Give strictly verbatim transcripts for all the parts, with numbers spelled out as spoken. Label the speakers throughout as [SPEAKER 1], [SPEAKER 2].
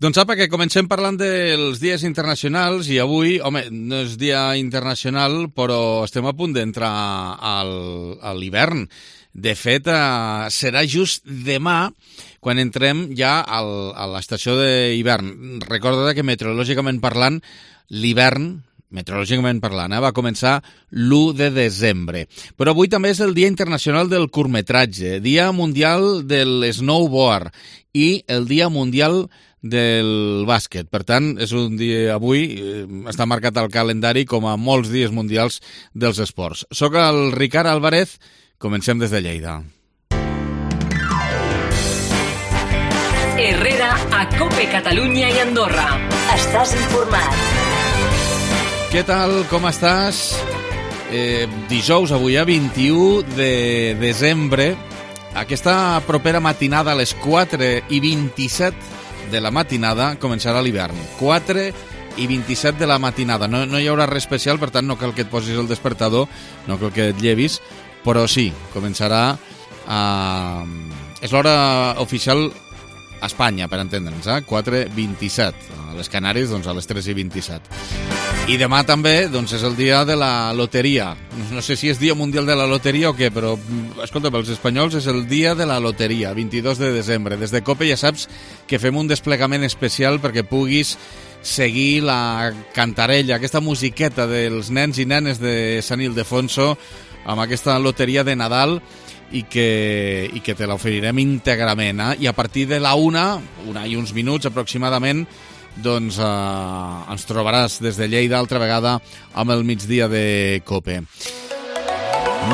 [SPEAKER 1] Doncs apa, que comencem parlant dels dies internacionals i avui, home, no és dia internacional, però estem a punt d'entrar al, a l'hivern. De fet, eh, serà just demà quan entrem ja al, a l'estació d'hivern. Recorda que meteorològicament parlant, l'hivern, meteorològicament parlant, eh, va començar l'u de desembre. Però avui també és el Dia Internacional del Curtmetratge, Dia Mundial del Snowboard i el Dia Mundial del bàsquet. Per tant, és un dia avui, eh, està marcat al calendari com a molts dies mundials dels esports. Soc el Ricard Álvarez, comencem des de Lleida.
[SPEAKER 2] Herrera a COPE Catalunya i Andorra. Estàs informat.
[SPEAKER 1] Què tal, com estàs? Eh, dijous, avui, a vint-i-u de desembre, aquesta propera matinada a les quatre i vint-i-set de la matinada començarà l'hivern. quatre i vint-i-set de la matinada. No, no hi haurà res especial, per tant no cal que et posis el despertador, no cal que et llevis, però sí, començarà a... És l'hora oficial a Espanya, per entendre'ns, eh? quatre i vint-i-set. A les Canàries, doncs, a les tres i vint-i-set. I demà també, doncs, és el dia de la loteria. No sé si és dia mundial de la loteria o què, però, escolta, pels espanyols és el dia de la loteria, vint-i-dos de desembre. Des de COPE ja saps que fem un desplegament especial perquè puguis seguir la cantarella, aquesta musiqueta dels nens i nenes de Sant Ildefonso amb aquesta loteria de Nadal i que, i que te l'oferirem íntegrament. Eh? I a partir de la una, una i uns minuts aproximadament, doncs eh, ens trobaràs des de Lleida altra vegada amb el migdia de COPE.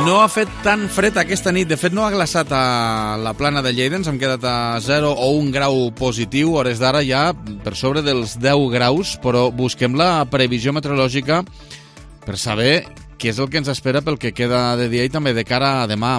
[SPEAKER 1] No ha fet tan fred aquesta nit, de fet no ha glaçat a la plana de Lleida, ens hem quedat a zero o un grau positiu, hores d'ara ja per sobre dels deu graus, però busquem la previsió meteorològica per saber què és el que ens espera pel que queda de dia i també de cara a demà.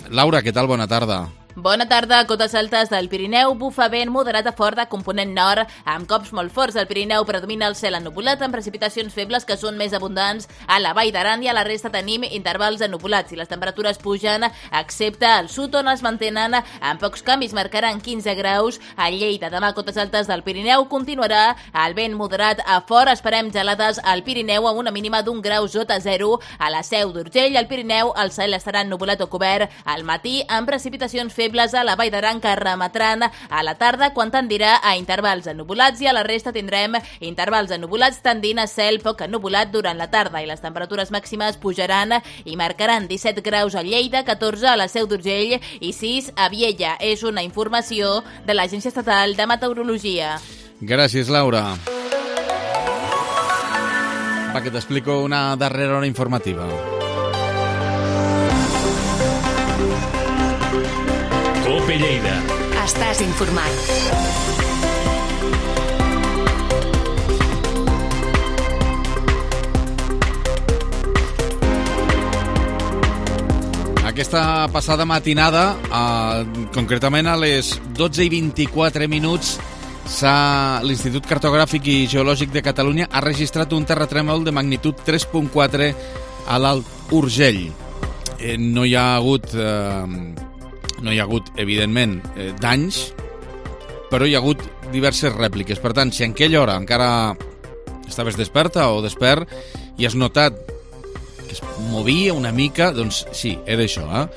[SPEAKER 1] Laura, què tal? Bona tarda.
[SPEAKER 3] Bona tarda. Cotes altes del Pirineu, bufa vent moderat a fort de component nord, amb cops molt forts. Al Pirineu predomina el cel ennuvolat amb precipitacions febles que són més abundants a la Vall d'Aran i a la resta tenim intervals ennupolats i les temperatures pugen, excepte al sud on es mantenen amb pocs canvis, marcaran quinze graus. A Lleida demà cotes altes del Pirineu continuarà el vent moderat a fort, esperem gelades al Pirineu amb una mínima d'un grau sota zero. A la Seu d'Urgell, al Pirineu, el cel estarà ennuvolat o cobert al matí amb precipitacions febles febles a la Vall d'Aran que remetran a la tarda quan tendirà a intervals ennubulats i a la resta tindrem intervals ennubulats tendint a cel poc ennubulat durant la tarda i les temperatures màximes pujaran i marcaran disset graus a Lleida, catorze a la Seu d'Urgell i sis a Viella. És una informació de l'Agència Estatal de Meteorologia.
[SPEAKER 1] Gràcies, Laura. Va, que t'explico una darrera hora informativa.
[SPEAKER 2] COPE Lleida.
[SPEAKER 4] Estàs informat.
[SPEAKER 1] Aquesta passada matinada, eh, concretament a les dotze i vint-i-quatre minuts, l'Institut Cartogràfic i Geològic de Catalunya ha registrat un terratrèmol de magnitud tres coma quatre a l'Alt Urgell. Eh, no hi ha hagut... Eh, No hi ha hagut, evidentment, eh, danys, però hi ha hagut diverses rèpliques. Per tant, si en aquella hora encara estaves desperta o despert i has notat que es movia una mica, doncs sí, era això, eh?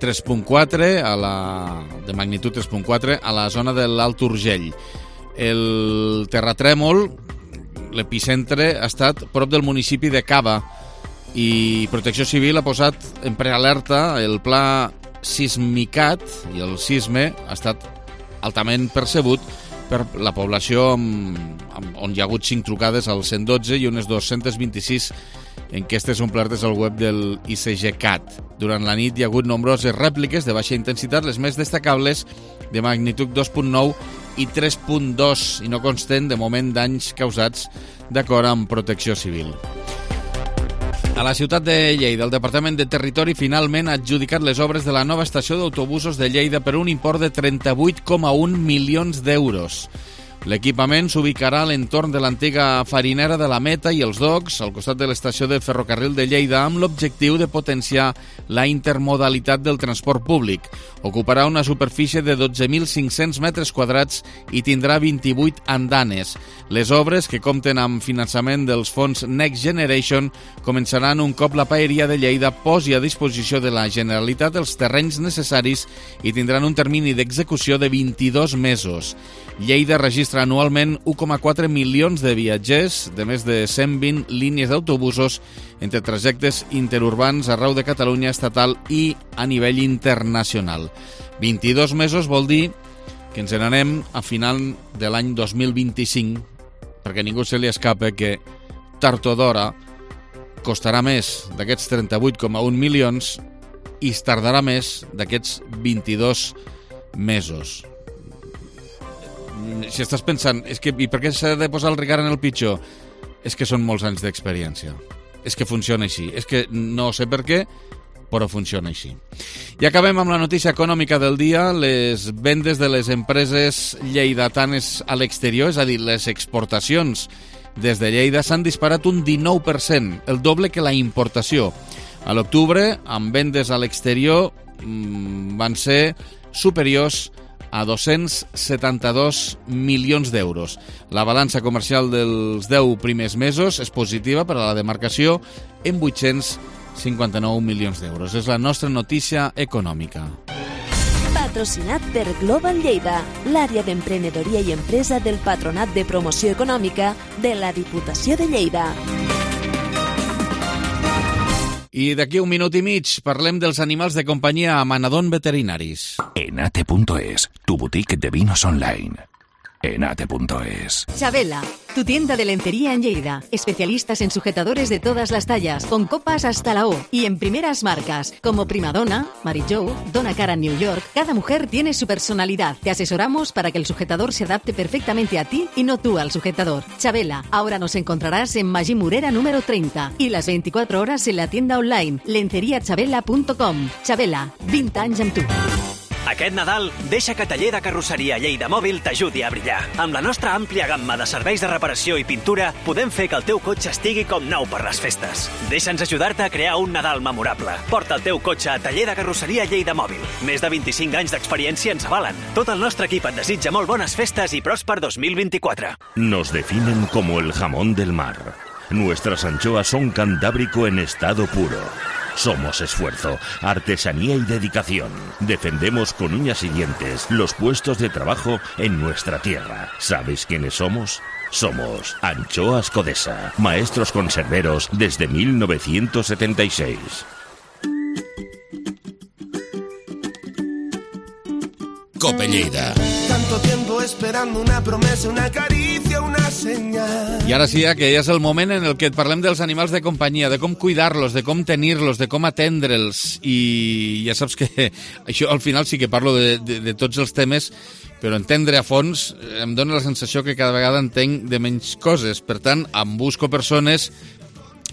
[SPEAKER 1] tres coma quatre, a la, de magnitud tres coma quatre, a la zona de l'Alt Urgell. El terratrèmol, l'epicentre, ha estat prop del municipi de Cava i Protecció Civil ha posat en prealerta el pla sismicat i el sisme ha estat altament percebut per la població amb, amb, on hi ha hagut cinc trucades al cent dotze i unes dos-centes vint-i-sis enquestes omplertes al web del I C G C A T. Durant la nit hi ha hagut nombroses rèpliques de baixa intensitat, les més destacables de magnitud dos coma nou i tres coma dos i no consten de moment danys causats d'acord amb Protecció Civil. A la ciutat de Lleida, el Departament de Territori finalment ha adjudicat les obres de la nova estació d'autobusos de Lleida per un import de trenta-vuit coma un milions d'euros. L'equipament s'ubicarà a l'entorn de l'antiga farinera de la Meta i els Docks, al costat de l'estació de ferrocarril de Lleida, amb l'objectiu de potenciar la intermodalitat del transport públic. Ocuparà una superfície de dotze mil cinc-cents metres quadrats i tindrà vint-i-vuit andanes. Les obres, que compten amb finançament dels fons Next Generation, començaran un cop la paeria de Lleida posi a disposició de la Generalitat els terrenys necessaris i tindran un termini d'execució de vint-i-dos mesos. Lleida registra anualment u coma quatre milions de viatgers de més de cent vint línies d'autobusos entre trajectes interurbans arreu de Catalunya estatal i a nivell internacional. vint-i-dos mesos vol dir que ens n'anem a final de l'any dos mil vint-i-cinc, perquè ningú se li escapa que tard o d'hora costarà més d'aquests trenta-vuit coma un milions i es tardarà més d'aquests vint-i-dos mesos. Si estàs pensant, és que, i per què s'ha de posar el Ricard en el pitjor? És que són molts anys d'experiència. És que funciona així. És que no sé per què, però funciona així. I acabem amb la notícia econòmica del dia. Les vendes de les empreses lleidatanes a l'exterior, és a dir, les exportacions des de Lleida, s'han disparat un dinou per cent, el doble que la importació. A l'octubre, amb vendes a l'exterior, van ser superiors a dos-cents setanta-dos milions d'euros. La balança comercial dels deu primers mesos és positiva per a la demarcació en vuit-cents cinquanta-nou milions d'euros. És la nostra notícia econòmica.
[SPEAKER 5] Patrocinat per Global Lleida, l'àrea d'emprenedoria i empresa del Patronat de Promoció Econòmica de la Diputació de Lleida.
[SPEAKER 1] I d'aquí un minut i mig parlem dels animals de companyia a Manadón Veterinaris.
[SPEAKER 6] Enate punto es, tu boutique de vinos online. Enate punto es.
[SPEAKER 4] Chabela, tu tienda de lencería en Lleida. Especialistas en sujetadores de todas las tallas, con copas hasta la O y en primeras marcas, como Primadonna, Mary Jo, Donna Karan New York. Cada mujer tiene su personalidad. Te asesoramos para que el sujetador se adapte perfectamente a ti y no tú al sujetador. Chabela, ahora nos encontrarás en Magí Murera número treinta y las veinticuatro horas en la tienda online lencería chabela punto com. Chabela, vint anys amb tu.
[SPEAKER 7] Aquest Nadal, deixa que Taller de Carrosseria Lleida Mòbil t'ajudi a brillar. Amb la nostra àmplia gamma de serveis de reparació i pintura, podem fer que el teu cotxe estigui com nou per les festes. Deixa'ns ajudar-te a crear un Nadal memorable. Porta el teu cotxe a Taller de Carrosseria Lleida Mòbil. Més de vint-i-cinc anys d'experiència ens avalen. Tot el nostre equip et desitja molt bones festes i pròsper dos mil vint-i-quatre.
[SPEAKER 6] Nos definen como el jamón del mar. Nuestras anchoas son cantábrico en estado puro. Somos esfuerzo, artesanía y dedicación. Defendemos con uñas y dientes los puestos de trabajo en nuestra tierra. ¿Sabes quiénes somos? Somos Anchoas Codesa, maestros conserveros desde mil novecientos setenta y seis.
[SPEAKER 8] Cope Lleida.
[SPEAKER 9] Tanto tiempo esperando una promesa, una caricia, una señal.
[SPEAKER 1] I ara sí, que ja és el moment en el que et parlem dels animals de companyia, de com cuidar-los, de com tenir-los, de com atendre'ls. I ja saps que això al final sí que parlo de, de, de tots els temes, però entendre a fons em dóna la sensació que cada vegada entenc de menys coses. Per tant, em busco persones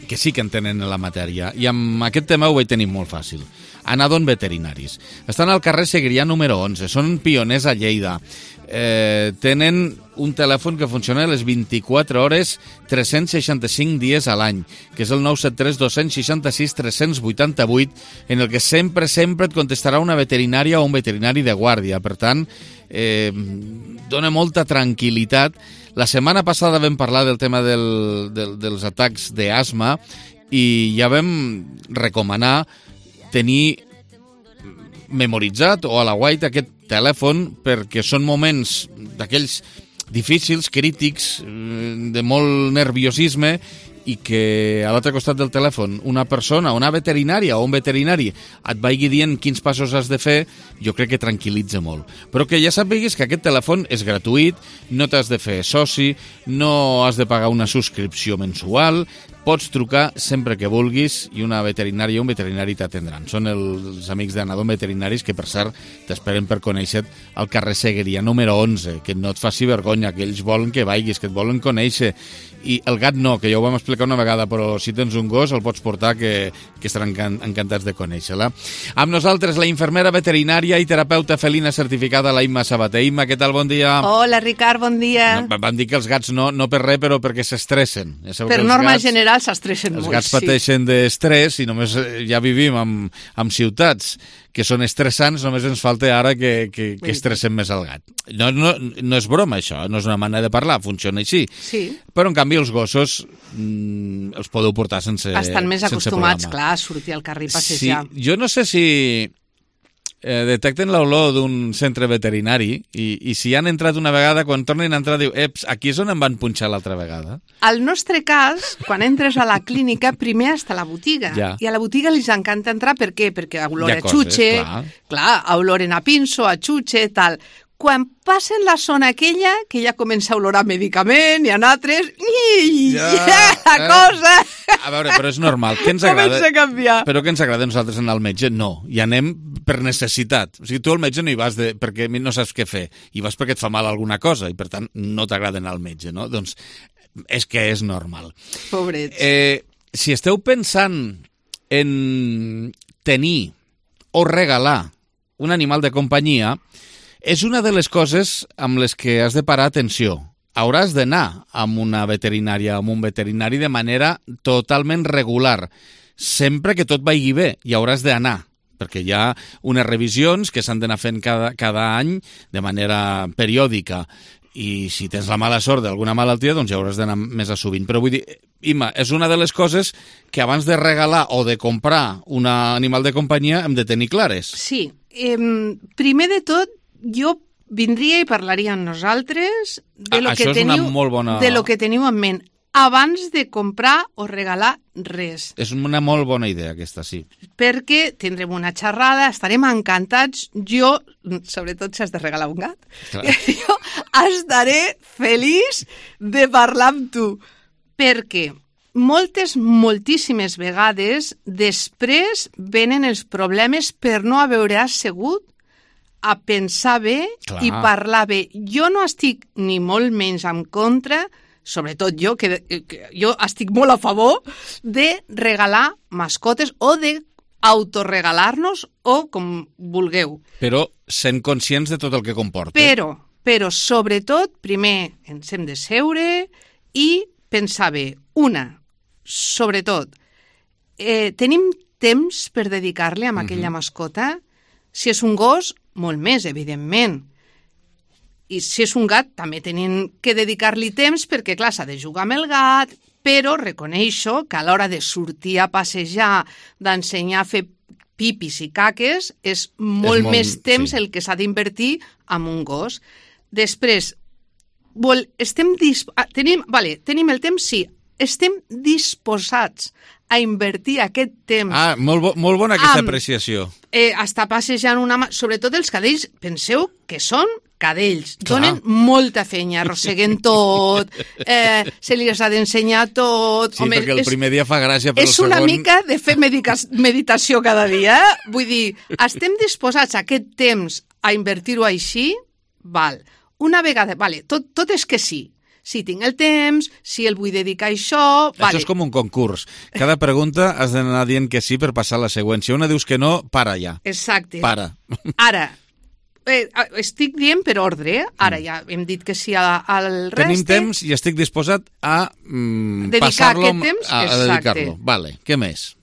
[SPEAKER 1] que sí que entenen la matèria. I amb aquest tema ho vaig tenir molt fàcil. Anadón Veterinaris. Estan al carrer Segrià número onze. Són pioners a Lleida. Eh, tenen un telèfon que funciona a les vint-i-quatre hores, tres-cents seixanta-cinc dies a l'any, que és el nou set tres dos sis sis tres vuit vuit, en el que sempre, sempre et contestarà una veterinària o un veterinari de guàrdia. Per tant, eh, dona molta tranquil·litat. La setmana passada vam parlar del tema del, del, dels atacs d'asma i ja vam recomanar tenir memoritzat o a la guaita aquest telèfon perquè són moments d'aquells difícils, crítics, de molt nerviosisme i que a l'altre costat del telèfon una persona, una veterinària o un veterinari et vagi dient quins passos has de fer, jo crec que tranquil·litza molt. Però que ja sàpigues que aquest telèfon és gratuït, no t'has de fer soci, no has de pagar una subscripció mensual, pots trucar sempre que vulguis i una veterinària o un veterinari t'atendran. Són els amics d'Anadom Veterinaris que, per cert, t'esperen per conèixer el carrer Segueria número onze, que no et faci vergonya, que ells volen que vagis, que et volen conèixer. I el gat no, que ja ho vam explicar una vegada, però si tens un gos el pots portar, que, que estaran encantats de conèixer-la. Amb nosaltres la infermera veterinària i terapeuta felina certificada, la Imma Sabater. Imma, què tal? Bon dia.
[SPEAKER 10] Hola, Ricard, bon dia.
[SPEAKER 1] No, van dir que els gats no, no per res, però perquè s'estressen. Ja
[SPEAKER 10] per norma gats, general s'estressen
[SPEAKER 1] molt,
[SPEAKER 10] Els
[SPEAKER 1] gats pateixen sí. d'estrès i només ja vivim amb, amb ciutats que són estressants, només ens falta ara que, que, que estressen més el gat. No, no, no és broma, això, no és una manera de parlar, funciona així.
[SPEAKER 10] Sí.
[SPEAKER 1] Però, en canvi, els gossos mmm, els podeu portar sense
[SPEAKER 10] Estan més acostumats,
[SPEAKER 1] problema.
[SPEAKER 10] clar, a sortir al carrer i passejar.
[SPEAKER 1] Sí, jo no sé si eh, detecten l'olor d'un centre veterinari i, i si han entrat una vegada, quan tornen a entrar, diu, eps, aquí és on em van punxar l'altra vegada.
[SPEAKER 10] Al nostre cas, quan entres a la clínica, primer està a la botiga.
[SPEAKER 1] Ja.
[SPEAKER 10] I a la botiga li encanta entrar, per què? Perquè olor a
[SPEAKER 1] coses,
[SPEAKER 10] xutxe,
[SPEAKER 1] clar.
[SPEAKER 10] clar, oloren a pinso, a xutxe, tal. Quan passen la zona aquella, que ja comença a olorar medicament, i en altres, i ja, la eh. cosa...
[SPEAKER 1] A veure, però és normal. Què ens agrada?
[SPEAKER 10] Comença a canviar.
[SPEAKER 1] Però què ens agrada a nosaltres anar al metge? No. I anem per necessitat. O sigui, tu al metge no hi vas de, perquè no saps què fer. Hi vas perquè et fa mal alguna cosa i, per tant, no t'agrada anar al metge, no? Doncs és que és normal.
[SPEAKER 10] Pobrets.
[SPEAKER 1] Eh, si esteu pensant en tenir o regalar un animal de companyia, és una de les coses amb les que has de parar atenció. Hauràs d'anar amb una veterinària, amb un veterinari de manera totalment regular. Sempre que tot vagi bé, hi hauràs d'anar, perquè hi ha unes revisions que s'han d'anar fent cada, cada any de manera periòdica. I si tens la mala sort d'alguna malaltia, doncs ja hauràs d'anar més a sovint. Però vull dir, Imma, és una de les coses que abans de regalar o de comprar un animal de companyia hem de tenir clares.
[SPEAKER 10] Sí. Eh, primer de tot, jo vindria i parlaria amb nosaltres de lo,
[SPEAKER 1] ah,
[SPEAKER 10] que teniu,
[SPEAKER 1] bona...
[SPEAKER 10] de lo que teniu en ment abans de comprar o regalar res.
[SPEAKER 1] És una molt bona idea, aquesta, sí.
[SPEAKER 10] Perquè tindrem una xerrada, estarem encantats. Jo, sobretot si has de regalar un gat, jo estaré feliç de parlar amb tu. Perquè moltes, moltíssimes vegades després venen els problemes per no haver assegut a pensar bé Clar. I parlar bé. Jo no estic ni molt menys en contra, sobretot jo, que, que jo estic molt a favor de regalar mascotes o de autoregalar-nos o com vulgueu.
[SPEAKER 1] Però sent conscients de tot el que comporta.
[SPEAKER 10] Però, però sobretot, primer ens hem de seure i pensar bé. Una, sobretot, eh, tenim temps per dedicar-li a aquella uh-huh. mascota? Si és un gos, molt més, evidentment. I si és un gat, també tenim que dedicar-li temps perquè, clar, s'ha de jugar amb el gat, però reconeixo que a l'hora de sortir a passejar, d'ensenyar a fer pipis i caques, és molt, és molt més temps sí. el que s'ha d'invertir en un gos. Després, vol, estem disp... tenim, vale, tenim el temps, sí, estem disposats a invertir aquest temps...
[SPEAKER 1] Ah, molt, bo, molt bona aquesta amb, apreciació.
[SPEAKER 10] Eh, està passejant una... Sobretot els cadells, penseu que són cadells. Clar. Donen molta fenya, arrosseguen tot, eh, se li ha d'ensenyar tot...
[SPEAKER 1] Sí, Home, perquè el és, primer dia fa gràcia, però el
[SPEAKER 10] és
[SPEAKER 1] segon...
[SPEAKER 10] És una mica de fer medica, meditació cada dia. Eh? Vull dir, estem disposats a aquest temps a invertir-ho així? Val. Una vegada... Vale, tot, tot és que sí. Si tinc el temps, si el vull dedicar a això...
[SPEAKER 1] Això vale. És com un concurs. Cada pregunta has d'anar dient que sí per passar la següent. Si una dius que no, para ja.
[SPEAKER 10] Exacte.
[SPEAKER 1] Para.
[SPEAKER 10] Ara, eh, estic dient per ordre, ara ja hem dit que sí al reste...
[SPEAKER 1] Tenim temps i estic disposat a mm, passar-lo...
[SPEAKER 10] Temps,
[SPEAKER 1] a, a dedicar-lo. Vale, què més?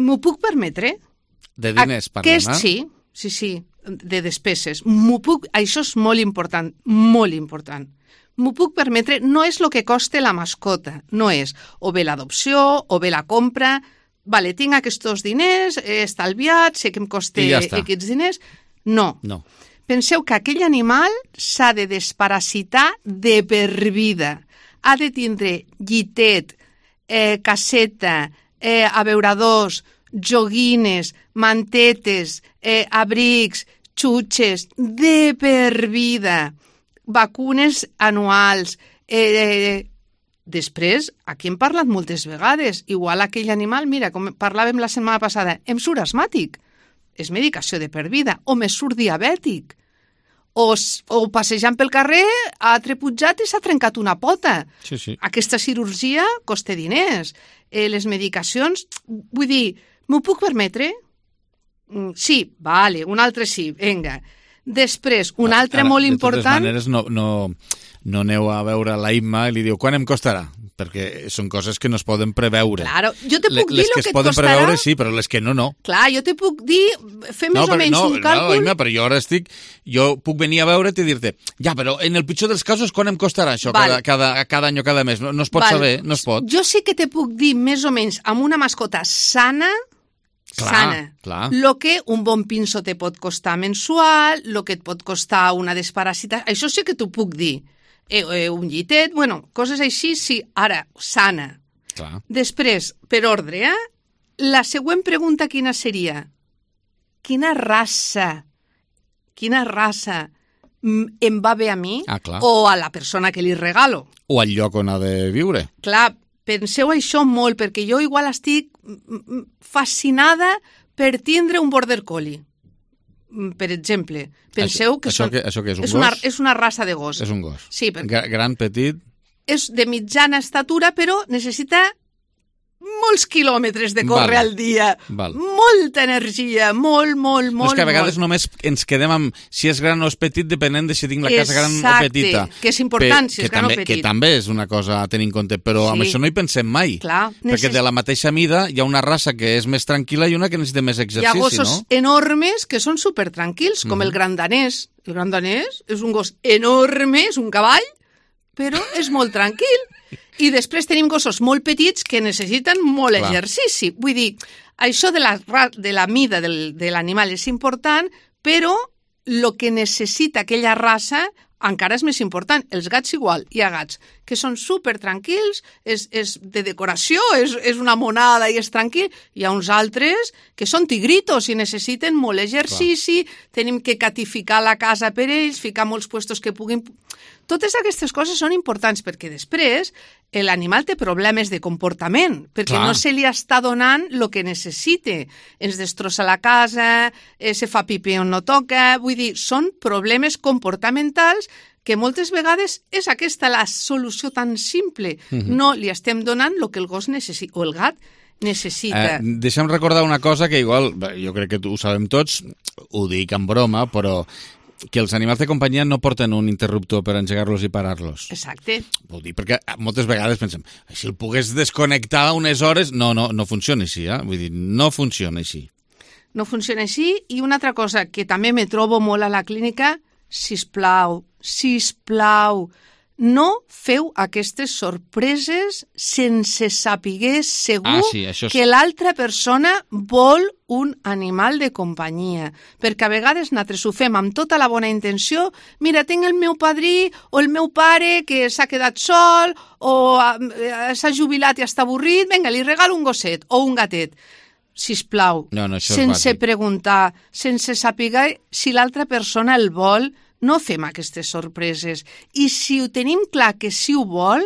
[SPEAKER 10] M'ho puc permetre?
[SPEAKER 1] De diners parlem,
[SPEAKER 10] és, eh? Sí, sí, sí, de despeses. M'ho puc... Això és molt important, molt important. M'ho puc permetre, no és el que costa la mascota, no és o bé l'adopció o bé la compra, vale, tinc aquests diners, he estalviat, sé que em costa
[SPEAKER 1] ja
[SPEAKER 10] aquests diners, no.
[SPEAKER 1] no.
[SPEAKER 10] Penseu que aquell animal s'ha de desparasitar de per vida, ha de tindre llitet, eh, caseta, eh, abeuradors, joguines, mantetes, eh, abrics, xutxes, de per vida, vacunes anuals, eh, Després, aquí hem parlat moltes vegades, igual aquell animal, mira, com parlàvem la setmana passada, em surt asmàtic, és medicació de per vida, o me surt diabètic, o, o passejant pel carrer ha treputjat i s'ha trencat una pota.
[SPEAKER 1] Sí, sí.
[SPEAKER 10] Aquesta cirurgia costa diners. Eh, les medicacions, vull dir, m'ho puc permetre? Mm, sí, vale, un altre sí, vinga. Després, un altre
[SPEAKER 1] Ara,
[SPEAKER 10] molt
[SPEAKER 1] de
[SPEAKER 10] important...
[SPEAKER 1] De totes maneres, no, no, no aneu a veure la Imma i li diu, quan em costarà? Perquè són coses que no es poden preveure.
[SPEAKER 10] Claro, jo te puc
[SPEAKER 1] les
[SPEAKER 10] dir el
[SPEAKER 1] que
[SPEAKER 10] que
[SPEAKER 1] es
[SPEAKER 10] et
[SPEAKER 1] poden
[SPEAKER 10] costarà...
[SPEAKER 1] preveure, sí, però les que no, no.
[SPEAKER 10] Clar, jo te puc dir, fer més
[SPEAKER 1] no,
[SPEAKER 10] o menys
[SPEAKER 1] no,
[SPEAKER 10] un càlcul...
[SPEAKER 1] No, Imma, però jo ara estic... Jo puc venir a veure't i dir-te, ja, però en el pitjor dels casos, quan em costarà això,
[SPEAKER 10] Val.
[SPEAKER 1] cada, cada, cada any o cada mes? No, no es pot
[SPEAKER 10] Val.
[SPEAKER 1] saber, no es pot.
[SPEAKER 10] Jo sí que te puc dir més o menys amb una mascota sana,
[SPEAKER 1] Clar,
[SPEAKER 10] sana.
[SPEAKER 1] clar.
[SPEAKER 10] Lo que un bon pinso te pot costar mensual, lo que et pot costar una desparasitació, això sí que t'ho puc dir. Eh, eh, un llitet, bueno, coses així, sí, ara, sana.
[SPEAKER 1] Clar.
[SPEAKER 10] Després, per ordre, eh? La següent pregunta quina seria? Quina raça, quina raça em va bé a mi
[SPEAKER 1] ah, clar.
[SPEAKER 10] o a la persona que li regalo?
[SPEAKER 1] O al lloc on ha de viure.
[SPEAKER 10] Clar, penseu això molt, perquè jo igual estic fascinada per tindre un border collie. Per exemple, penseu
[SPEAKER 1] això,
[SPEAKER 10] que,
[SPEAKER 1] això
[SPEAKER 10] són,
[SPEAKER 1] que això que és un
[SPEAKER 10] és,
[SPEAKER 1] gos?
[SPEAKER 10] una, és una raça de gos.
[SPEAKER 1] És un gos.
[SPEAKER 10] Sí, perquè
[SPEAKER 1] Gran, petit...
[SPEAKER 10] és de mitjana estatura, però necessita molts quilòmetres de córrer
[SPEAKER 1] Val.
[SPEAKER 10] al dia.
[SPEAKER 1] Val.
[SPEAKER 10] Molta energia, molt, molt, molt,
[SPEAKER 1] No és que a vegades
[SPEAKER 10] molt.
[SPEAKER 1] només ens quedem amb si és gran o és petit, depenent de si tinc la casa gran o
[SPEAKER 10] Exacte,
[SPEAKER 1] petita.
[SPEAKER 10] que és important si és
[SPEAKER 1] que
[SPEAKER 10] gran o
[SPEAKER 1] també,
[SPEAKER 10] petit.
[SPEAKER 1] Que també és una cosa a tenir en compte, però
[SPEAKER 10] Sí.
[SPEAKER 1] amb això no hi pensem mai.
[SPEAKER 10] Clar,
[SPEAKER 1] Perquè
[SPEAKER 10] necess-
[SPEAKER 1] de la mateixa mida hi ha una raça que és més tranquil·la i una que necessita més
[SPEAKER 10] Hi ha
[SPEAKER 1] exercici,
[SPEAKER 10] gossos
[SPEAKER 1] no?
[SPEAKER 10] enormes que són supertranquils, com
[SPEAKER 1] Mhm.
[SPEAKER 10] el gran danès. El gran danès és un gos enorme, és un cavall, però és molt tranquil. I després tenim gossos molt petits que necessiten molt
[SPEAKER 1] Clar.
[SPEAKER 10] exercici. Vull dir, això de la, ra- de la mida del, de l'animal és important, però el que necessita aquella raça encara és més important. Els gats igual, hi ha gats que són super tranquils, és, és de decoració, és, és una monada i és tranquil. Hi ha uns altres que són tigritos i necessiten molt exercici, Clar. tenim que catificar la casa per ells, ficar molts puestos que puguin... Totes aquestes coses són importants perquè després l'animal té problemes de comportament, perquè
[SPEAKER 1] Clar.
[SPEAKER 10] no se li està donant el que necessite. Ens destrossa la casa, eh, se fa pipí on no toca... Vull dir, són problemes comportamentals que moltes vegades és aquesta la solució tan simple.
[SPEAKER 1] Mhm.
[SPEAKER 10] No li estem donant el que el gos necessita, o el gat necessita.
[SPEAKER 1] Eh, deixa'm recordar una cosa que igual, bé, jo crec que ho sabem tots, ho dic en broma, però que els animals de companyia no porten un interruptor per engegar-los i parar-los.
[SPEAKER 10] Exacte.
[SPEAKER 1] Vull dir, perquè moltes vegades pensem, si el pogués desconnectar unes hores... No, no, no funciona així, eh? Vull dir, no funciona així.
[SPEAKER 10] No funciona així. I una altra cosa que també me trobo molt a la clínica, sisplau, sisplau, no feu aquestes sorpreses sense saber segur
[SPEAKER 1] Ah, sí, això és-
[SPEAKER 10] que l'altra persona vol un animal de companyia. Perquè a vegades nosaltres ho fem amb tota la bona intenció. Mira, tinc el meu padrí o el meu pare que s'ha quedat sol o eh, s'ha jubilat i està avorrit. Vinga, li regalo un gosset o un gatet. Sisplau,
[SPEAKER 1] No, no, això és
[SPEAKER 10] sense
[SPEAKER 1] bàsic.
[SPEAKER 10] preguntar, sense saber si l'altra persona el vol, no fem aquestes sorpreses. I si ho tenim clar que sí ho vol,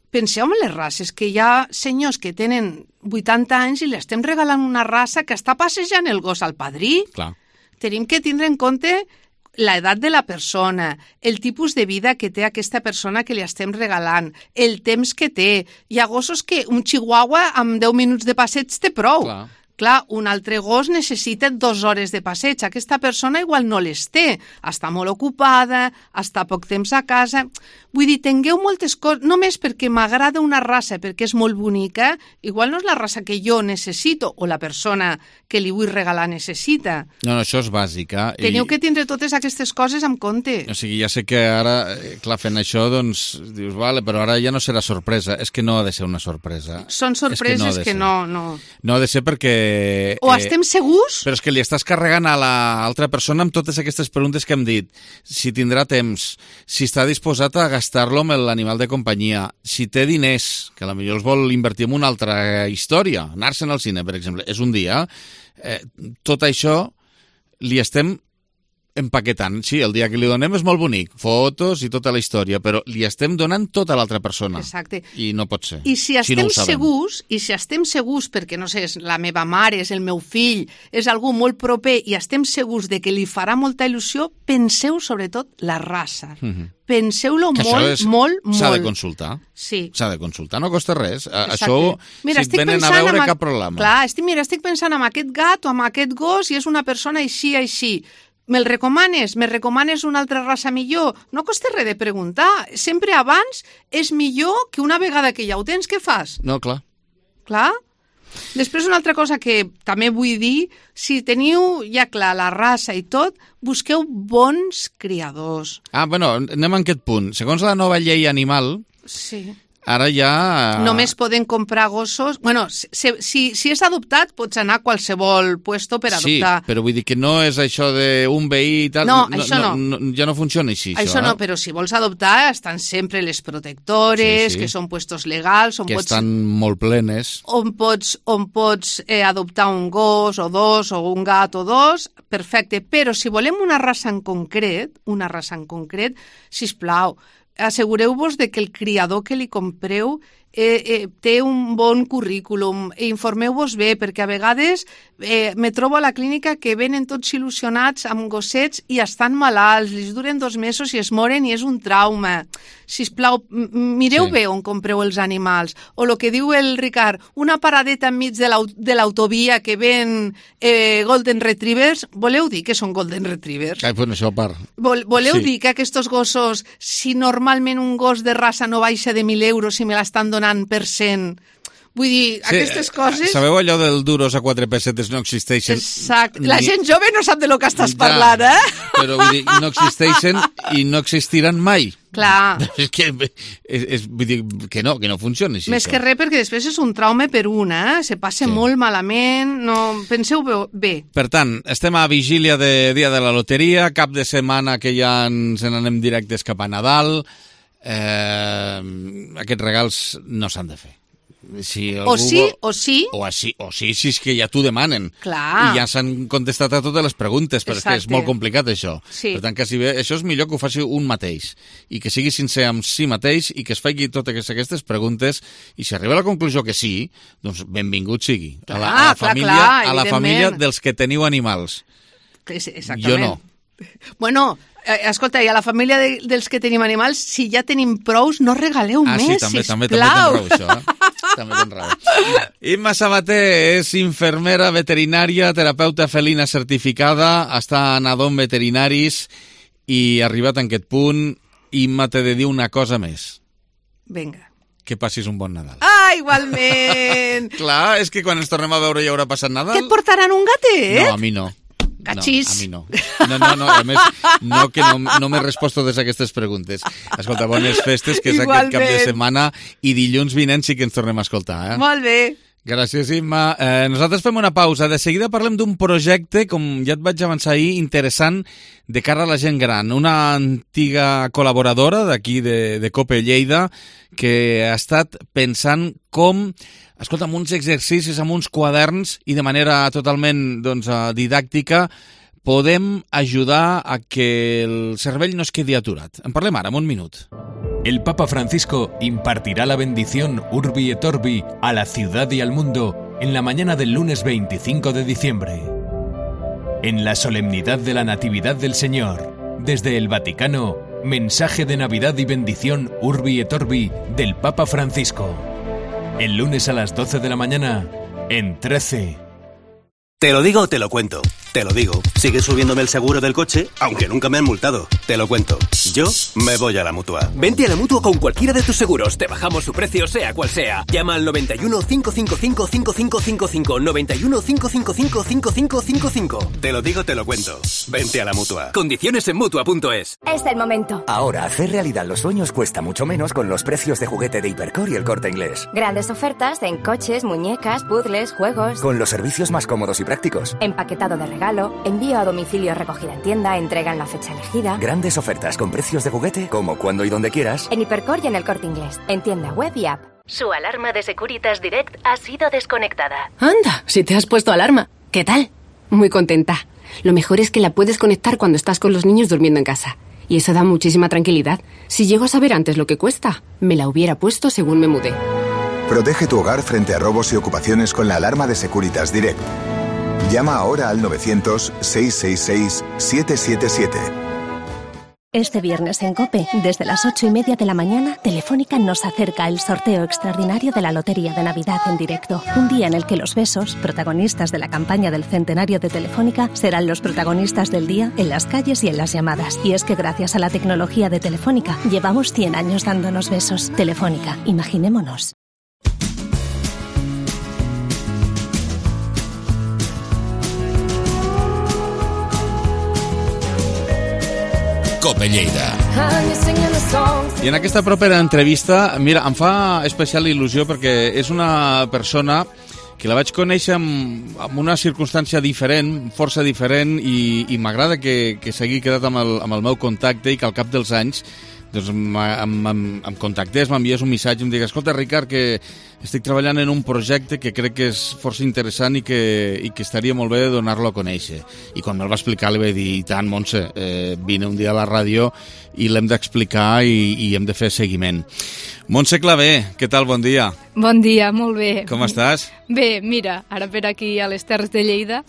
[SPEAKER 10] penseu en les races, que hi ha senyors que tenen vuitanta anys i li estem regalant una raça que està passejant el gos al padrí.
[SPEAKER 1] Clar.
[SPEAKER 10] Tenim que tindre en compte l'edat de la persona, el tipus de vida que té aquesta persona que li estem regalant, el temps que té. Hi ha gossos que un chihuahua amb deu minuts de passeig té prou.
[SPEAKER 1] Clar.
[SPEAKER 10] Clar, un altre gos necessita dues hores de passeig. Aquesta persona igual no les té. Està molt ocupada, està poc temps a casa... Vull dir, tingueu moltes coses... Només perquè m'agrada una raça, perquè és molt bonica, igual no és la raça que jo necessito o la persona que li vull regalar necessita.
[SPEAKER 1] No, no, això és bàsic, eh?
[SPEAKER 10] Teniu
[SPEAKER 1] I,
[SPEAKER 10] que tindre totes aquestes coses en compte.
[SPEAKER 1] O sigui, ja sé que ara, eh, clar, fent això, doncs, dius, vale, però ara ja no serà sorpresa. És que no ha de ser una sorpresa.
[SPEAKER 10] Són sorpreses
[SPEAKER 1] ha de
[SPEAKER 10] que
[SPEAKER 1] ser.
[SPEAKER 10] no, no...
[SPEAKER 1] No ha de ser perquè...
[SPEAKER 10] O estem segurs?
[SPEAKER 1] Però és que li estàs carregant a l'altra persona amb totes aquestes preguntes que hem dit. Si tindrà temps, si està disposat a gastar-lo amb l'animal de companyia, si té diners, que potser els vol invertir en una altra història, anar-se'n al cine, per exemple, és un dia, eh, tot això li estem empaquetant. Sí, el dia que li donem és molt bonic, fotos i tota la història, però li estem donant tota l'altra persona.
[SPEAKER 10] Exacte.
[SPEAKER 1] I no pot ser.
[SPEAKER 10] I si estem
[SPEAKER 1] si no
[SPEAKER 10] segurs, i si estem segurs, perquè no sé, és la meva mare, és el meu fill, és algú molt proper, i estem segurs de que li farà molta il·lusió, penseu sobretot la raça. Mm-hmm. Penseu-lo molt, és, molt, molt.
[SPEAKER 1] S'ha de consultar.
[SPEAKER 10] Sí.
[SPEAKER 1] S'ha de consultar, no costa res.
[SPEAKER 10] Exacte.
[SPEAKER 1] Això,
[SPEAKER 10] mira,
[SPEAKER 1] si et venen a veure, cap problema.
[SPEAKER 10] Clar, estic, mira, estic pensant en aquest gat o en aquest gos i és una persona així, així. Me'l recomanes? Me recomanes una altra raça millor? No costa res de preguntar. Sempre abans és millor que una vegada que ja ho tens, què fas?
[SPEAKER 1] No, clar.
[SPEAKER 10] Clar. Després, una altra cosa que també vull dir, si teniu ja clar la raça i tot, busqueu bons criadors.
[SPEAKER 1] Ah, bueno, anem a aquest punt. Segons la nova llei animal,
[SPEAKER 10] sí.
[SPEAKER 1] Ara ja...
[SPEAKER 10] Només poden comprar gossos... Bueno, si, si, si és adoptat, pots anar a qualsevol puesto per adoptar.
[SPEAKER 1] Sí, però vull dir que no és això d'un veí i tal...
[SPEAKER 10] No, no això no.
[SPEAKER 1] no. Ja no funciona així,
[SPEAKER 10] això. Això no, però si vols adoptar, estan sempre les protectores, sí, sí. que són puestos legals... On
[SPEAKER 1] que
[SPEAKER 10] pots,
[SPEAKER 1] estan molt plenes.
[SPEAKER 10] On pots, on pots eh, adoptar un gos o dos, o un gat o dos, perfecte. Però si volem una raça en concret, una raça en concret, sisplau, assegureu-vos de que el criador que li compreu eh, eh, té un bon currículum, informeu-vos bé, perquè a vegades eh, me trobo a la clínica que venen tots il·lusionats amb gossets i estan malalts, li duren dos mesos i es moren i és un trauma. Sisplau, mireu sí. bé on compreu els animals. O el que diu el Ricard, una paradeta enmig de l'autovia que ven eh, Golden Retrievers, voleu dir que són Golden Retrievers?
[SPEAKER 1] Ai, bueno, això a part.
[SPEAKER 10] Vol, voleu
[SPEAKER 1] sí.
[SPEAKER 10] dir que aquests gossos, si normalment un gos de raça no baixa de mil euros i me l'estan donant per cent... Vull dir, sí, aquestes coses...
[SPEAKER 1] Sabeu allò del duros a quatre pessetes no existeixen?
[SPEAKER 10] Exacte. La gent jove no sap de lo que estàs ja, parlant, eh?
[SPEAKER 1] Però vull dir, no existeixen i no existiran mai.
[SPEAKER 10] Clar.
[SPEAKER 1] És que, és, és, vull dir, que no, que no funciona així.
[SPEAKER 10] Més això. Que res, perquè després és un traume per una, eh? Se passa sí. molt malament, no... Penseu bé.
[SPEAKER 1] Per tant, estem a vigília de dia de la loteria, cap de setmana que ja ens n'anem directes cap a Nadal. Eh, aquests regals no s'han de fer. Si
[SPEAKER 10] o sí, vol... o sí.
[SPEAKER 1] O així, o sí, si és que ja t'ho demanen.
[SPEAKER 10] Clar.
[SPEAKER 1] I ja s'han contestat a totes les preguntes, però Exacte. És que és molt complicat això.
[SPEAKER 10] Sí.
[SPEAKER 1] Per tant, que si bé, això és millor que ho faci un mateix, i que sigui sincer amb si mateix, i que es faci totes aquestes preguntes, i si arriba a la conclusió que sí, doncs benvingut sigui.
[SPEAKER 10] Clar,
[SPEAKER 1] a la, a la,
[SPEAKER 10] clar,
[SPEAKER 1] família,
[SPEAKER 10] clar,
[SPEAKER 1] a la família dels que teniu animals.
[SPEAKER 10] Exactament.
[SPEAKER 1] Jo no.
[SPEAKER 10] Bueno... Escolta, i a la família de, dels que tenim animals, si ja tenim prous, no regaleu
[SPEAKER 1] ah,
[SPEAKER 10] més,
[SPEAKER 1] sí, també,
[SPEAKER 10] sisplau.
[SPEAKER 1] També, també tens raó, això, eh? També tens raó. Imma Sabater és infermera veterinària, terapeuta felina certificada, està a Nadon Veterinaris i arribat en aquest punt, Imma, t'he de dir una cosa més.
[SPEAKER 10] Vinga.
[SPEAKER 1] Que passis un bon Nadal.
[SPEAKER 10] Ah, igualment!
[SPEAKER 1] Clar, és que quan ens tornem a veure ja haurà passat Nadal.
[SPEAKER 10] Que et portaran un gatet?
[SPEAKER 1] No, a mi no.
[SPEAKER 10] Cachís.
[SPEAKER 1] No, a mi no. No, no, no, a més, no, que no, no m'he respost totes aquestes preguntes. Escolta, bones festes, que és
[SPEAKER 10] Igualment.
[SPEAKER 1] Aquest cap de setmana, i dilluns vinent sí que ens tornem a escoltar, eh?
[SPEAKER 10] Molt bé.
[SPEAKER 1] Gràcies, Imma. Eh, nosaltres fem una pausa. De seguida parlem d'un projecte, com ja et vaig avançar ahir, interessant de cara a la gent gran. Una antiga col·laboradora d'aquí de, de Cope Lleida que ha estat pensant com... Escolta, amb uns exercicis, amb uns quaderns i de manera totalment doncs, didàctica podem ajudar a que el cervell no es quedi aturat. En parlem ara, en un minut.
[SPEAKER 11] El Papa Francisco impartirá la bendición Urbi et Orbi a la ciudad y al mundo en la mañana del lunes veinticinco de diciembre. En la solemnidad de la Natividad del Señor, desde el Vaticano, mensaje de Navidad y bendición Urbi et Orbi del Papa Francisco. El lunes a las doce de la mañana, en trece.
[SPEAKER 12] Te lo digo o te lo cuento. Te lo digo. Sigue subiéndome el seguro del coche, aunque nunca me han multado. Te lo cuento. Yo me voy a la Mutua.
[SPEAKER 13] Vente a la Mutua con cualquiera de tus seguros. Te bajamos su precio, sea cual sea. Llama al noventa y uno, cinco cinco cinco, cinco cinco cinco cinco. noventa y uno, cinco cinco cinco, cinco cinco cinco cinco.
[SPEAKER 12] Te lo digo, te lo cuento. Vente a la Mutua.
[SPEAKER 13] Condiciones en Mutua punto es.
[SPEAKER 14] Es el momento.
[SPEAKER 15] Ahora, hacer realidad los sueños cuesta mucho menos con los precios de juguete de Hipercor y El Corte Inglés.
[SPEAKER 14] Grandes ofertas en coches, muñecas, puzzles, juegos.
[SPEAKER 15] Con los servicios más cómodos y prácticos.
[SPEAKER 14] Empaquetado de regalo, envío a domicilio, recogida en tienda, entrega en la fecha elegida.
[SPEAKER 15] Grandes ofertas con precios de juguete, como cuando y donde quieras.
[SPEAKER 14] En Hipercor y en El Corte Inglés, en tienda web y app.
[SPEAKER 16] Su alarma de Securitas Direct ha sido desconectada.
[SPEAKER 17] Anda, si te has puesto alarma. ¿Qué tal? Muy contenta. Lo mejor es que la puedes conectar cuando estás con los niños durmiendo en casa. Y eso da muchísima tranquilidad. Si llego a saber antes lo que cuesta, me la hubiera puesto según me mudé.
[SPEAKER 18] Protege tu hogar frente a robos y ocupaciones con la alarma de Securitas Direct. Llama ahora al novecientos, seiscientos sesenta y seis, setecientos setenta y siete.
[SPEAKER 19] Este viernes en COPE, desde las ocho y media de la mañana, Telefónica nos acerca el sorteo extraordinario de la Lotería de Navidad en directo. Un día en el que los besos, protagonistas de la campaña del centenario de Telefónica, serán los protagonistas del día en las calles y en las llamadas. Y es que gracias a la tecnología de Telefónica, llevamos cien años dándonos besos. Telefónica, imaginémonos.
[SPEAKER 8] Cope Lleida.
[SPEAKER 1] I en aquesta propera entrevista, mira, em fa especial il·lusió perquè és una persona que la vaig conèixer amb, amb una circumstància diferent, força diferent, i, i m'agrada que, que s'hagi quedat amb el, amb el meu contacte i que al cap dels anys doncs em, em, em contactés, m'enviés un missatge i em digués: escolta, Ricard, que estic treballant en un projecte que crec que és força interessant i que, i que estaria molt bé donar-lo a conèixer. I quan me'l va explicar li vaig dir: i tant, Montse, eh, vine un dia a la ràdio i l'hem d'explicar i, i hem de fer seguiment. Montse Clavé, què tal? Bon dia.
[SPEAKER 20] Bon dia, molt bé.
[SPEAKER 1] Com estàs?
[SPEAKER 20] Bé, mira, ara per aquí a les Terres de Lleida.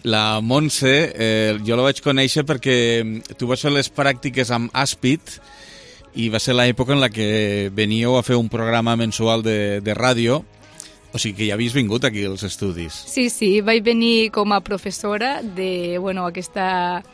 [SPEAKER 1] La Montse, eh, jo la vaig conèixer perquè tu vas fer les pràctiques amb Aspit i va ser l'època en la que veníeu a fer un programa mensual de, de ràdio, o sigui que ja havies vingut aquí als estudis.
[SPEAKER 20] Sí, sí, vaig venir com a professora de, bueno, aquesta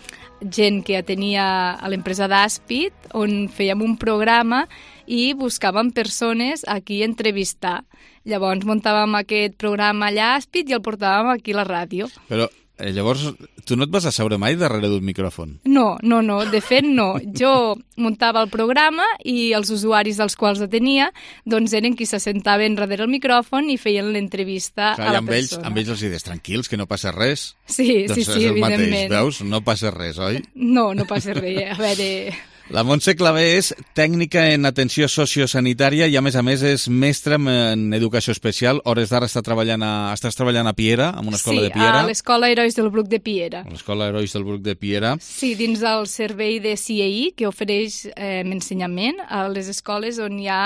[SPEAKER 20] gent que tenia a l'empresa d'Aspit, on fèiem un programa i buscàvem persones aquí a entrevistar. Llavors muntàvem aquest programa allà a Aspit i el portàvem aquí a la ràdio.
[SPEAKER 1] Però eh, llavors tu no et vas asseure mai darrere d'un micròfon?
[SPEAKER 20] No, no, no, de fet no. Jo muntava el programa i els usuaris dels quals ho tenia doncs eren qui s'assentaven darrere el micròfon i feien l'entrevista
[SPEAKER 1] Clar,
[SPEAKER 20] a la
[SPEAKER 1] amb
[SPEAKER 20] persona.
[SPEAKER 1] Ells, amb ells els dius, tranquils, que no passa res.
[SPEAKER 20] Sí,
[SPEAKER 1] doncs
[SPEAKER 20] sí, sí,
[SPEAKER 1] és el
[SPEAKER 20] evidentment.
[SPEAKER 1] mateix, veus? No passa res, oi?
[SPEAKER 20] No, no passa res. A veure...
[SPEAKER 1] La Montse Clavé és tècnica en atenció sociosanitària i, a més a més, és mestra en educació especial. Hores d'ara està treballant a, estàs treballant a Piera, en una escola
[SPEAKER 20] sí,
[SPEAKER 1] de Piera.
[SPEAKER 20] Sí, a l'Escola Herois del Bruc de Piera.
[SPEAKER 1] A l'Escola Herois del Bruc de Piera.
[SPEAKER 20] Sí, dins del servei de C I I, que ofereix eh, ensenyament a les escoles on hi ha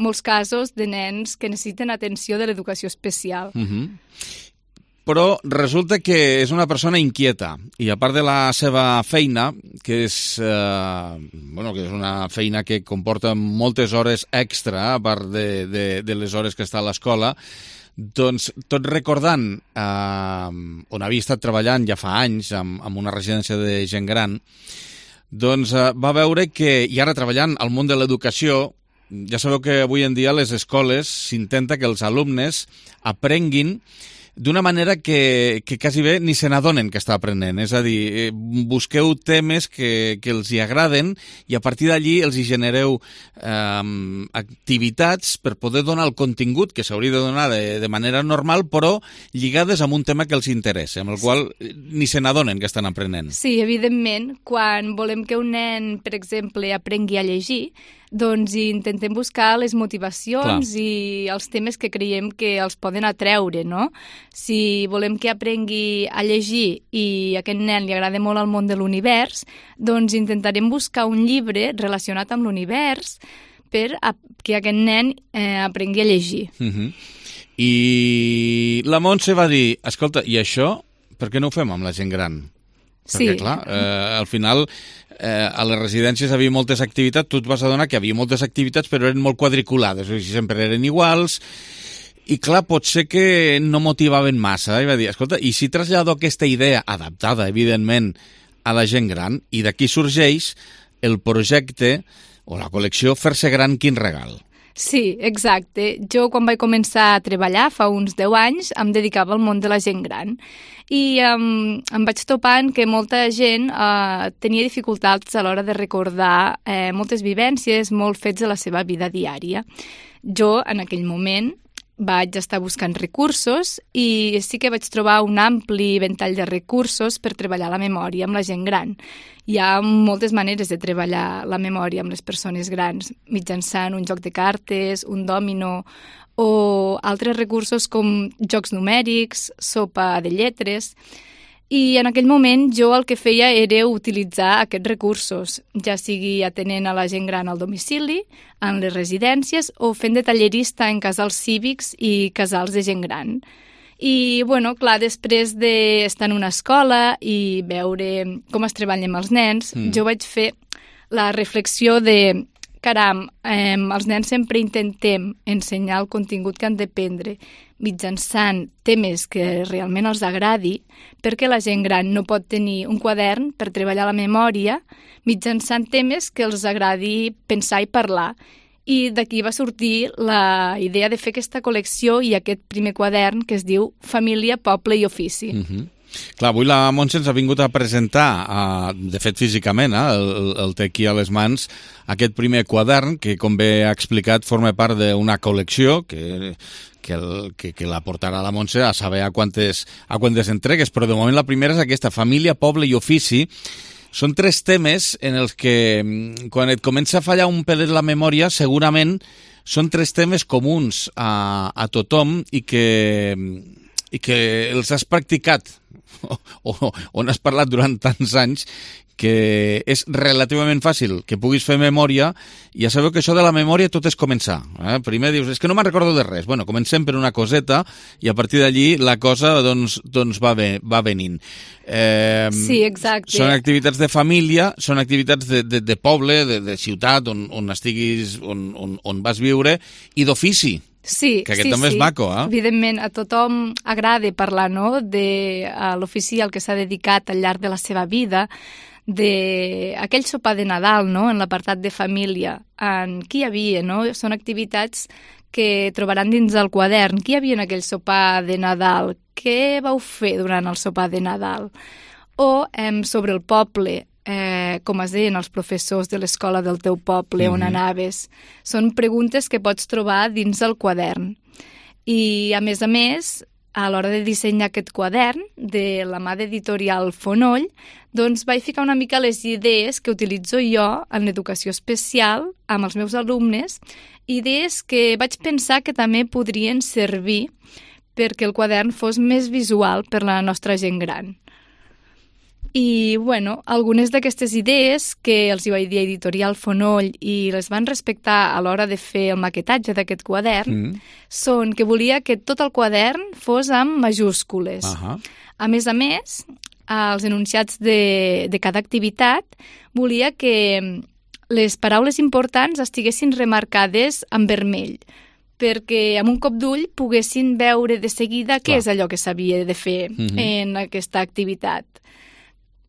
[SPEAKER 20] molts casos de nens que necessiten atenció de l'educació especial.
[SPEAKER 1] Uh-huh. Però resulta que és una persona inquieta i a part de la seva feina, que és, eh, bueno, que és una feina que comporta moltes hores extra, a part de, de, de les hores que està a l'escola, doncs tot recordant eh, on havia estat treballant ja fa anys amb, amb una residència de gent gran, doncs eh, va veure que, i ara treballant al món de l'educació, ja sabeu que avui en dia a les escoles s'intenta que els alumnes aprenguin d'una manera que, que quasi bé ni se n'adonen que està aprenent. És a dir, busqueu temes que, que els hi agraden i a partir d'allí els hi genereu eh, activitats per poder donar el contingut que s'hauria de donar de, de manera normal, però lligades amb un tema que els interessa, amb el qual ni se n'adonen que estan aprenent.
[SPEAKER 20] Sí, evidentment. Quan volem que un nen, per exemple, aprengui a llegir, doncs intentem buscar les motivacions Clar. I els temes que creiem que els poden atreure, no? Si volem que aprengui a llegir i a aquest nen li agrada molt el món de l'univers, doncs intentarem buscar un llibre relacionat amb l'univers per a que aquest nen eh, aprengui a llegir.
[SPEAKER 1] Uh-huh. I la Montse va dir, escolta, i això per què no ho fem amb la gent gran? Perquè,
[SPEAKER 20] sí.
[SPEAKER 1] clar, eh, al final eh, a les residències havia moltes activitats, tu et vas adonar que havia moltes activitats però eren molt quadriculades, o sigui, sempre eren iguals, i clar, pot ser que no motivaven massa, i va dir, escolta, i si trasllado aquesta idea, adaptada, evidentment, a la gent gran, i d'aquí sorgeix el projecte o la col·lecció Fer-se gran, quin regal.
[SPEAKER 20] Sí, exacte. Jo quan vaig començar a treballar fa uns deu anys em dedicava al món de la gent gran i um, em vaig topant que molta gent uh, tenia dificultats a l'hora de recordar eh, moltes vivències, molts fets de la seva vida diària. Jo, en aquell moment, vaig estar buscant recursos i sí que vaig trobar un ampli ventall de recursos per treballar la memòria amb la gent gran. Hi ha moltes maneres de treballar la memòria amb les persones grans, mitjançant un joc de cartes, un dòmino o altres recursos com jocs numèrics, sopa de lletres. I en aquell moment jo el que feia era utilitzar aquests recursos, ja sigui atenent a la gent gran al domicili, en les residències o fent de tallerista en casals cívics i casals de gent gran. I, bueno, clar, després d'estar en una escola i veure com es treballa amb els nens, mm. jo vaig fer la reflexió de, caram, eh, els nens sempre intentem ensenyar el contingut que han d'aprendre mitjançant temes que realment els agradi, perquè la gent gran no pot tenir un quadern per treballar la memòria mitjançant temes que els agradi pensar i parlar. I d'aquí va sortir la idea de fer aquesta col·lecció i aquest primer quadern que es diu Família, Poble i Ofici.
[SPEAKER 1] Mm-hmm. Clar, avui la Montse ens ha vingut a presentar, uh, de fet físicament, eh, el, el té aquí a les mans, aquest primer quadern que, com bé ha explicat, forma part d'una col·lecció que, que, el, que, que la portarà la Montse a saber a quantes, a quantes entregues, però de moment la primera és aquesta, Família, Poble i Ofici. Són tres temes en els que, quan et comença a fallar un pelet la memòria, segurament són tres temes comuns a, a tothom i que, i que els has practicat o, o on has parlat durant tants anys, que és relativament fàcil que puguis fer memòria. Ja sabeu que això de la memòria tot és començar. Eh? Primer dius, és que no me'n recordo de res. Bueno, comencem per una coseta i a partir d'allí la cosa doncs, doncs va, ve, va venint. Eh,
[SPEAKER 20] sí, exacte.
[SPEAKER 1] Són activitats de família, són activitats de, de, de poble, de, de ciutat, on, on estiguis, on, on, on vas viure, i d'ofici.
[SPEAKER 20] Sí,
[SPEAKER 1] que aquest
[SPEAKER 20] sí,
[SPEAKER 1] també
[SPEAKER 20] sí.
[SPEAKER 1] és maco, eh?
[SPEAKER 20] Evidentment, a tothom agrada parlar, no?, de l'ofici al que s'ha dedicat al llarg de la seva vida, d'aquell sopar de Nadal, no?, en l'apartat de família, en qui hi havia, no? Són activitats que trobaran dins del quadern. Qui hi havia en aquell sopar de Nadal? Què vau fer durant el sopar de Nadal? O eh, sobre el poble, eh, com es deien els professors de l'escola del teu poble, mm-hmm. on anaves. Són preguntes que pots trobar dins el quadern. I, a més a més, a l'hora de dissenyar aquest quadern, de la mà d'editorial Fonoll, doncs vaig ficar una mica les idees que utilitzo jo en l'educació especial amb els meus alumnes, idees que vaig pensar que també podrien servir perquè el quadern fos més visual per la nostra gent gran. I, bueno, algunes d'aquestes idees que els hi vaig dir a Editorial Fonoll i les van respectar a l'hora de fer el maquetatge d'aquest quadern mm. són que volia que tot el quadern fos amb majúscules. Uh-huh. A més a més, als enunciats de, de cada activitat volia que les paraules importants estiguessin remarcades en vermell, perquè amb un cop d'ull poguessin veure de seguida Clar. Què és allò que s'havia de fer mm-hmm. en aquesta activitat.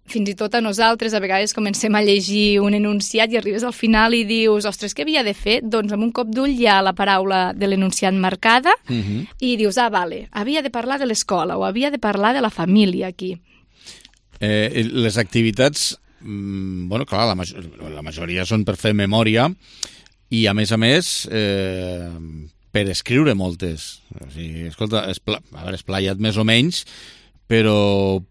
[SPEAKER 20] Fins i tot a nosaltres a vegades comencem a llegir un enunciat i arribes al final i dius, ostres, què havia de fer? Doncs amb un cop d'ull hi ha la paraula de l'enunciat marcada mm-hmm. i dius, ah, vale, havia de parlar de l'escola o havia de parlar de la família aquí.
[SPEAKER 1] Eh, les activitats, mm, bueno, clar, la, major, la majoria són per fer memòria i, a més a més, eh, per escriure moltes. O sigui, escolta, espla, a veure, esplaia't més o menys, però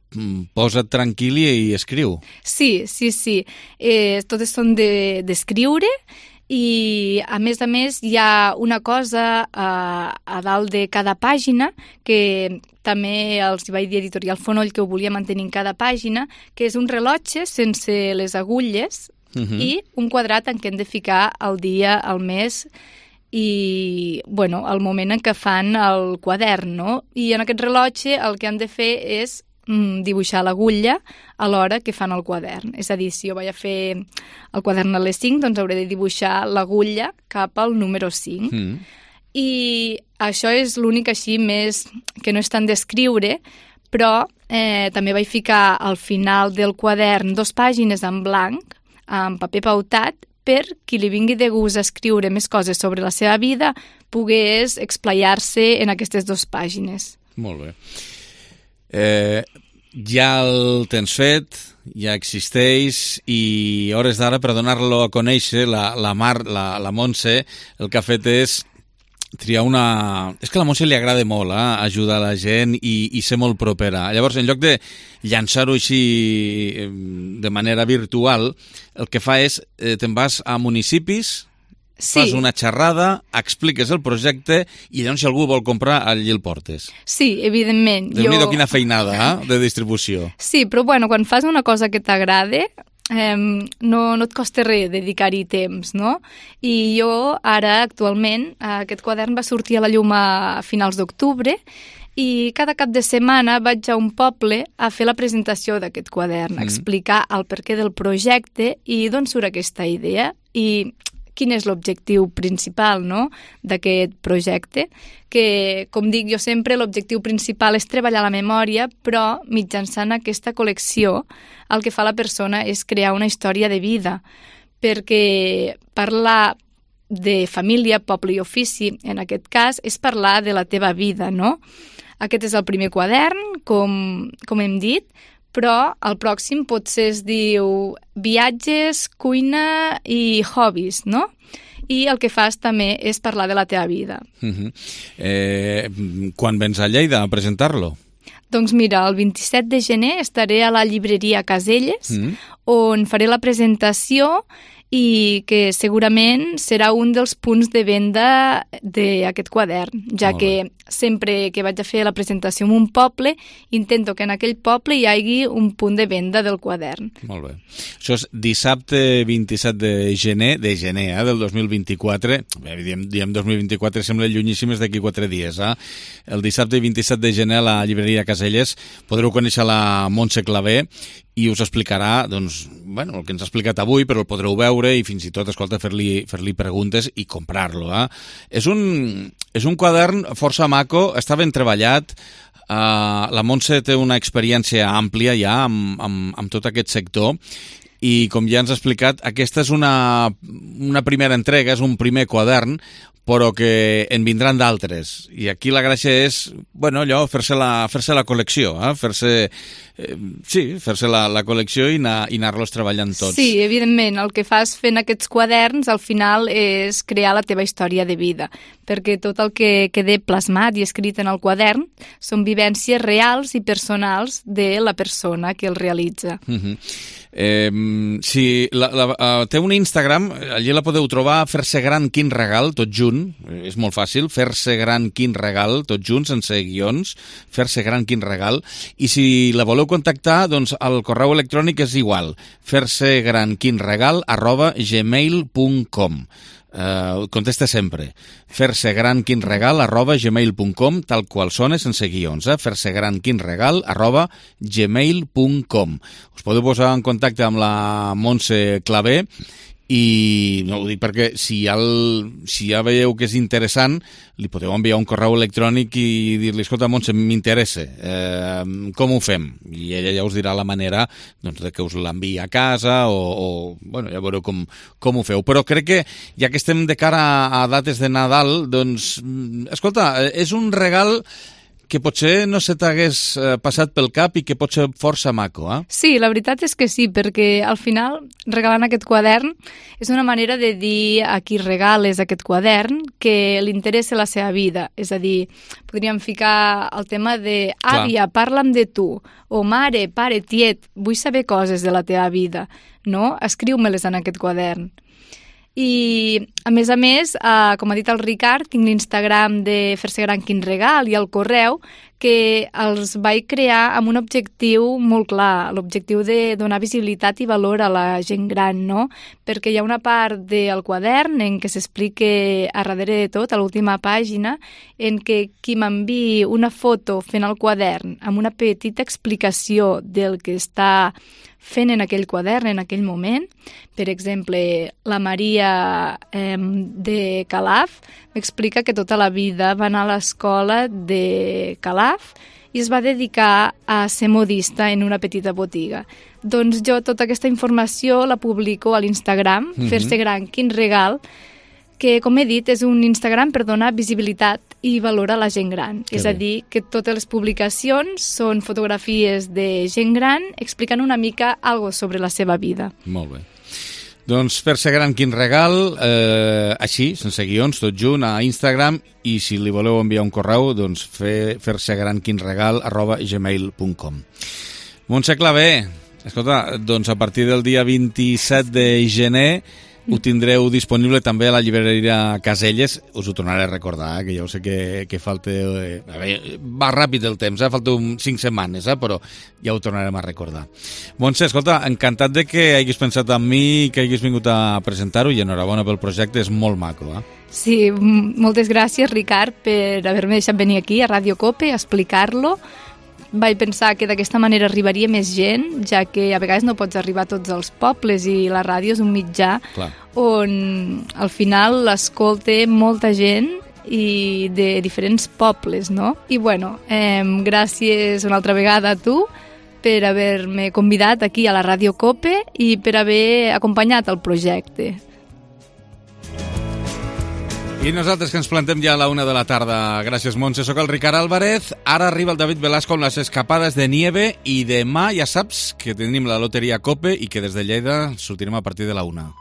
[SPEAKER 1] posa't tranquil i, i escriu.
[SPEAKER 20] Sí, sí, sí. Eh, totes són d'escriure de, i, a més a més, hi ha una cosa a, a dalt de cada pàgina que també els vaig dir a Editorial Fonoll que ho volia mantenir en cada pàgina, que és un rellotge sense les agulles uh-huh. i un quadrat en què hem de ficar el dia, el mes i, bueno, el moment en què fan el quadern, no? I en aquest rellotge el que han de fer és mm, dibuixar l'agulla a l'hora que fan el quadern. És a dir, si jo vaig a fer el quadern a les cinc, doncs hauré de dibuixar l'agulla cap al número cinc. Mm. I això és l'únic així més que no és tant d'escriure, però eh, també vaig ficar al final del quadern dos pàgines en blanc, amb paper pautat, per qui li vingui de gust a escriure més coses sobre la seva vida, pogués explayar-se en aquestes dues pàgines.
[SPEAKER 1] Molt bé. Eh, ja el tens fet, ja existeix, i hores d'ara, per donar-lo a conèixer, la, la Mar, la, la Montse, el que ha fet és triar una... És que a la Montse li agrada molt, eh? Ajudar la gent i, i ser molt propera. Llavors, en lloc de llançar-ho així de manera virtual, el que fa és, eh, te'n vas a municipis
[SPEAKER 20] Sí.
[SPEAKER 1] Fas una xerrada, expliques el projecte i llavors si algú vol comprar allí el portes.
[SPEAKER 20] Sí, evidentment.
[SPEAKER 1] Déu-n'hi-do quina feinada, eh, de distribució.
[SPEAKER 20] Sí, però bueno, quan fas una cosa que t'agrada, eh, no, no et costa res dedicar-hi temps, no? I jo ara, actualment, aquest quadern va sortir a la llum a finals d'octubre i cada cap de setmana vaig a un poble a fer la presentació d'aquest quadern, mm. explicar el perquè del projecte i d'on surt aquesta idea i quin és l'objectiu principal, no?, d'aquest projecte, que, com dic jo sempre, l'objectiu principal és treballar la memòria, però mitjançant aquesta col·lecció el que fa la persona és crear una història de vida, perquè parlar de família, poble i ofici, en aquest cas, és parlar de la teva vida, no? Aquest és el primer quadern, com, com hem dit, però el pròxim potser es diu viatges, cuina i hobbies, no? I el que fas també és parlar de la teva vida.
[SPEAKER 1] Uh-huh. eh, quan vens a Lleida a presentar-lo?
[SPEAKER 20] Doncs mira, el vint-i-set de gener estaré a la llibreria Caselles, mm. on faré la presentació i que segurament serà un dels punts de venda d'aquest quadern, ja que sempre que vaig a fer la presentació en un poble, intento que en aquell poble hi hagi un punt de venda del quadern.
[SPEAKER 1] Molt bé. Això és dissabte vint-i-set de gener, de gener, eh, del dos mil vint-i-quatre. Bé, diem, diem dos mil vint-i-quatre, sembla llunyíssim, és d'aquí quatre dies. Eh? El dissabte vint-i-set de gener a la llibreria Caselles podreu conèixer la Montse Clavé i us explicarà, doncs, bueno, el que ens ha explicat avui, però el podreu veure i fins i tot, escolta, fer-li fer-li preguntes i comprar-lo. Eh? És un, és un quadern força maco, està ben treballat. Uh, la Montse té una experiència àmplia ja amb, amb, amb tot aquest sector i, com ja ens ha explicat, aquesta és una, una primera entrega, és un primer quadern, però que en vindran d'altres. I aquí la gràcia és, bueno, allò, fer-se la, fer-se la col·lecció, eh? fer-se, eh, sí, fer-se la, la col·lecció i, anar, i anar-los treballant tots.
[SPEAKER 20] Sí, evidentment, el que fas fent aquests quaderns al final és crear la teva història de vida, perquè tot el que quede plasmat i escrit en el quadern són vivències reals i personals de la persona que el realitza.
[SPEAKER 1] Uh-huh. Eh, si la, la, uh, té un Instagram, allí la podeu trobar, Fer-se gran quin regal, tot junt, és molt fàcil, Fer-se gran quin regal, tot junt, sense guions, Fer-se gran quin regal, i si la voleu contactar, doncs el correu electrònic és igual, fer-se gran quin regal arroba gmail punt com. Uh, contesta sempre fer-se gran quin regal arroba gmail punt com, tal qual sona, sense guions, eh? fer-se gran quin regal arroba gmail punt com. Us podeu posar en contacte amb la Montse Clavé i no ho dic perquè si ja, el, si ja veieu que és interessant, li podeu enviar un correu electrònic i dir-li, escolta, Montse, m'interessa, eh, com ho fem? I ella ja us dirà la manera, doncs, de que us l'enviï a casa o, o bueno, ja veureu com, com ho feu. Però crec que, ja que estem de cara a, a dates de Nadal, doncs, escolta, és un regal que potser no se t'hagués passat pel cap i que pot ser força maco, eh?
[SPEAKER 20] Sí, la veritat és que sí, perquè al final, regalant aquest quadern, és una manera de dir a qui regales aquest quadern que li interessa la seva vida. És a dir, podríem ficar el tema de àvia, parla'm de tu, o mare, pare, tiet, vull saber coses de la teva vida, no? Escriu-me-les en aquest quadern. I, a més a més, eh, com ha dit el Ricard, tinc l'Instagram de Fer-se gran quin regal i el correu que els vaig crear amb un objectiu molt clar, l'objectiu de donar visibilitat i valor a la gent gran, no? Perquè hi ha una part del quadern en què s'explica a darrere de tot, a l'última pàgina, en què qui m'enviï una foto fent el quadern amb una petita explicació del que està fent en aquell quadern, en aquell moment. Per exemple, la Maria eh, de Calaf m'explica que tota la vida va anar a l'escola de Calaf i es va dedicar a ser modista en una petita botiga. Doncs jo tota aquesta informació la publico a l'Instagram, mm-hmm. Fer-se gran quin regal, que, com he dit, és un Instagram per donar visibilitat i valor a la gent gran. Que és bé. A dir, que totes les publicacions són fotografies de gent gran explicant una mica algo sobre la seva vida.
[SPEAKER 1] Molt bé. Doncs Fer-se gran quin regal, eh, així, sense guions, tot junt, a Instagram, i si li voleu enviar un correu, doncs fer, fer-se gran quin regal arroba gmail punt com. Montse Clavé, escolta, doncs a partir del dia vint-i-set de gener ho tindreu disponible també a la llibreria Caselles. Us ho tornaré a recordar, eh, que ja ho sé que, que falta... Eh, a veure, va ràpid el temps, eh, falta un cinc setmanes, eh, però ja ho tornarem a recordar. Montse, escolta, encantat de que hagis pensat en mi, que hagis vingut a presentar-ho i enhorabona pel projecte, és molt maco, eh?
[SPEAKER 20] Sí, moltes gràcies, Ricard, per haver-me deixat venir aquí a Ràdio Cope a explicar-lo. Vaig pensar que d'aquesta manera arribaria més gent, ja que a vegades no pots arribar a tots els pobles i la ràdio és un mitjà Clar. on al final l'escolta molta gent i de diferents pobles, no? I bueno, eh, gràcies una altra vegada a tu per haver-me convidat aquí a la Ràdio Cope i per haver acompanyat el projecte.
[SPEAKER 1] I nosaltres que ens plantem ja a la una de la tarda. Gràcies, Montse. Soc el Ricard Álvarez. Ara arriba el David Velasco amb les escapades de nieve i demà ja saps que tenim la loteria Cope i que des de Lleida sortirem a partir de la una.